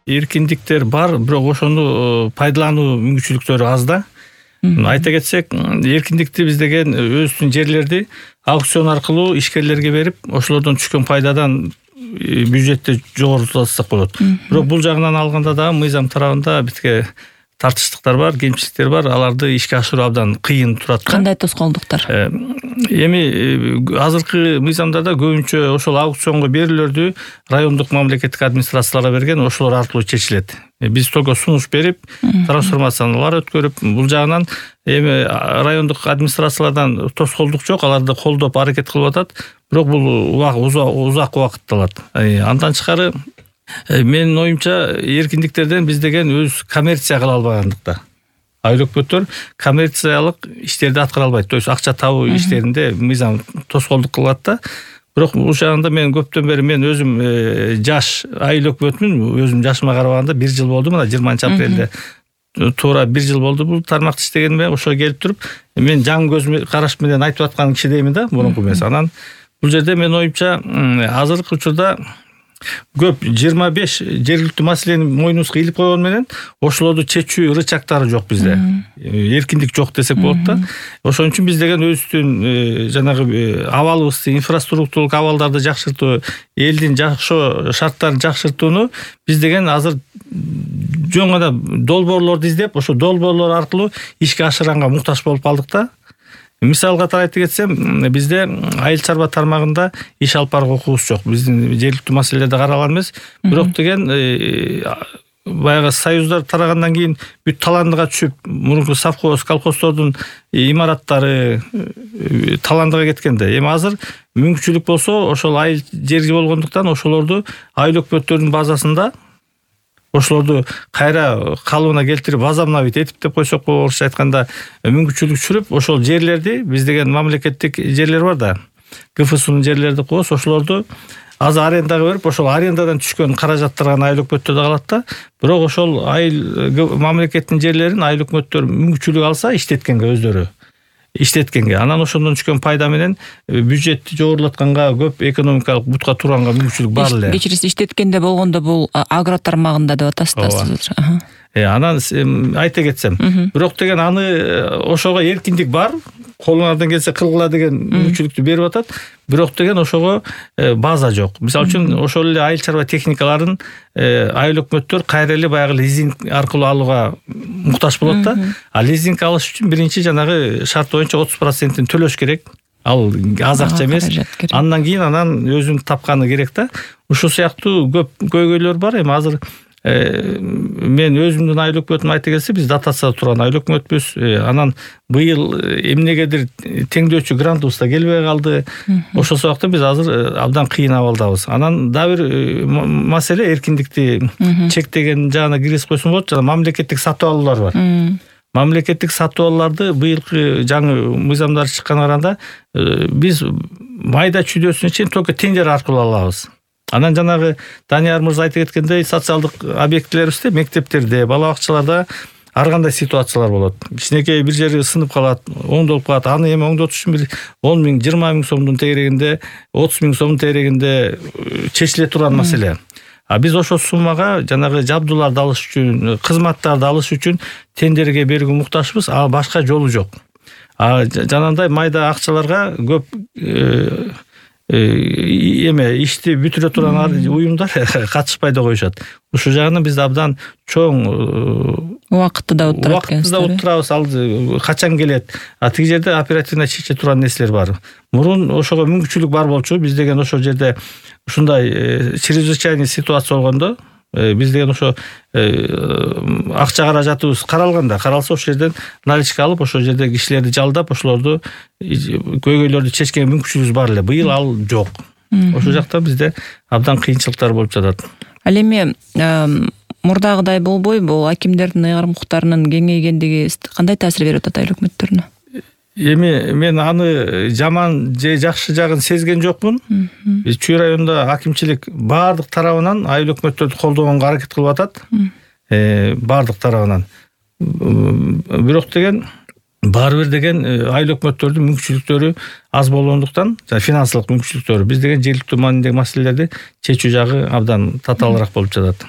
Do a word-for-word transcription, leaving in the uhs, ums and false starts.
эркиндиктер бар, бирок ошону пайдалануу мүмкүнчүлүктөрү аз да. Айта кетсек, эркиндикти биз деген өзүбүздүн жерлерди аукцион аркылуу ишкерлерге берип, ошолордон түшкөн пайдадан бюджетти жогорултсак болот. Бирок бул жагынан алганда дагы мыйзам тарабында бизге тартыштыктар бар, кемчиликтер бар. Аларды ишке ашыруу абдан кыйын турат. Кандай тоскоолдуктар? Эми азыркы мыйзамдарда көбүнчө ошол аукционго берүүлөрдү райондук мамлекеттик администрацияларга берген, ошолор аркылуу чечилет. Биз только сунуш берип, трансформациялар өткөрүп, бул жагынан эми райондук администрациялардан тоскоолдук жок, аларды колдоп аракет кылып атат. Бирок бул узак убакыт алат. Андан тышкары менин оюмча эркиндиктерден биз деген өз коммерция кыла албагандыкта. Айыл өкмөттөр коммерциялык иштерди аткара албайт. То есть акча табуу иштеринде мыйзам тоскоолдук кылат да. Бирок бул жагында мен көптөн бери мен өзүм жаш айыл өкмөтмүн. Өзүм жашыма карабаганда бир жыл болду, мына жыйырманчы апрелде туура бир жыл болду бул тармакты иштегениме. Ошо келип туруп, мен жаңы көз караш менен айтып аткан кишидеймин да, мурунку эмес. Анан бул жерде мен оюмча азыркы учурда көп жыйырма беш жергиликтүү маселени мойнубузга илип койгон менен ошолорду чечүү рычагтары жок бизде. Эркиндик жок десек болот да. Ошон үчүн биз деген өзүбүздүн жанагы абалыбызды, инфраструктуралык абалдарды жакшыртуу, элдин жакшы шарттарын жакшыртууну биз деген азыр жөн гана долбоорлорду издеп, ошо долбоорлор аркылуу ишке ашырганга муктаж болуп калдык да. Мисалга айта кетсем, бизде айыл чарба тармагында иш алып барууга укугубуз жок. Биздин жергиликтүү маселелерде каралган эмес. Бирок деген баягы союздар тарагандан кийин бүт таландыга түшүп, мурунку совхоз, колхоздордун имараттары таландыга кеткенде, эми азыр мүмкүнчүлүк болсо, ошол айыл жерги болгондуктан ошолорду айыл өкмөттөрүнүн базасында ошолорду кайра калыбына келтирип, возобновить этип деп койсок, орусча айтканда мүмкүнчүлүк түшүрүп, ошол жерлерди, биз деген мамлекеттик жерлер бар да, КФСунун жерлерди коебуз, ошолорду азыр арендага берип, ошол арендадан түшкөн каражаттарга айыл өкмөттөрдө калат да. Бирок ошол айыл мамлекеттин жерлерин айыл өкмөттөр мүмкүнчүлүк алса иштеткенге, өздөрү иштеткенге, анан ошондон түшкөн пайда менен бюджетти жогорулатканга, көп экономикалык бутка турганга мүмкүнчүлүк бар эле. Кечирисиз, иштеткенде болгондо бул агро тармагында деп атасыз да. Анан айта кетсем, бирок деген аны ошого эркиндик бар, колуңардан келсе кылгыла деген мүмкүнчүлүктү берип атат. Бирок деген ошого база жок. Мисалы үчүн ошол эле айыл чарба техникаларын айыл өкмөттөр кайра эле баягы лизинг аркылуу алууга муктаж болот да. А лизинг алыш үчүн биринчи жанагы шарт боюнча отуз процентин төлөш керек. Ал аз акча эмес. Андан кийин анан өзүнүн тапканы керек да. Ушул сыяктуу көп көйгөйлөр бар. Эми азыр мен өзүмдүн айыл өкмөтүм айта келсе, биз дотацияда турган айыл өкмөтпүз. Анан быйыл эмнегедир теңдөөчү грантыбыз да келбей калды. Ошол сабактан биз азыр абдан кыйын абалдабыз. Анан дагы бир маселе, эркиндикти чектеген жагына киргизип койсом болот. Жана мамлекеттик сатып алуулар бар. Мамлекеттик сатып алууларды быйылкы жаңы мыйзамдар чыкканга караганда биз майда чүйдөсүнө чейин только тендер аркылуу алабыз. Анан жанагы Данияр мырза айта кеткендей, социалдык объектилерибизде, мектептерде, бала бакчаларда ар кандай ситуациялар болот. Кичинекей бир жери сынып калат, оңдолуп калат. Аны эми оңдотуш үчүн бир он миң, жыйырма миң сомдун тегерегинде, отуз миң сомдун тегерегинде чечиле турган маселе. А биз ошол суммага жанагы жабдууларды алыш үчүн, кызматтарды алыш үчүн тендерге берүүгө муктажбыз, а башка жолу жок. А жанагындай майда акчаларга көп эме ишти бүтүрө турган уюмдар катышпай да коюшат. Ушул жагынан биз абдан чоң убакытты да утурат экенсиз. Убакытты да утурабыз, ал качан келет. А тиги жерде оперативно чече турган нерселер бар. Мурун ошого мүмкүнчүлүк бар болчу. Биз деген ошол жерде ушундай чрезвычайный ситуация болгондо, биз деген ошо акча каражатыбыз каралганда, каралса ошол жерден наличка алып, ошол жерде кишилерди жалдап, ошолорду көйгөйлөрдү чечкенге мүмкүнчүлүгүбүз бар эле. Быйыл ал жок. Ошол жакта бизде абдан кыйынчылыктар болуп жатат. Ал эми мурдагыдай болбойбу? Акимдердин ыйгарым укуктарынын кеңейгендиги кандай таасир берип атат айыл өкмөттөрүнө? Эми мен аны жаман же жакшы жагын сезген жокмун. Биз Чүй районунда акимчилик баардык тарабынан айыл өкмөттөрдү колдогонго аракет кылып атат. Баардык тарабынан. Бирок деген баары бир деген айыл өкмөттөрдүн мүмкүнчүлүктөрү аз болгондуктан, финансылык мүмкүнчүлүктөрү, биз деген жергиликтүү маанидеги маселелерди чечүү жагы абдан татаалыраак болуп жатат.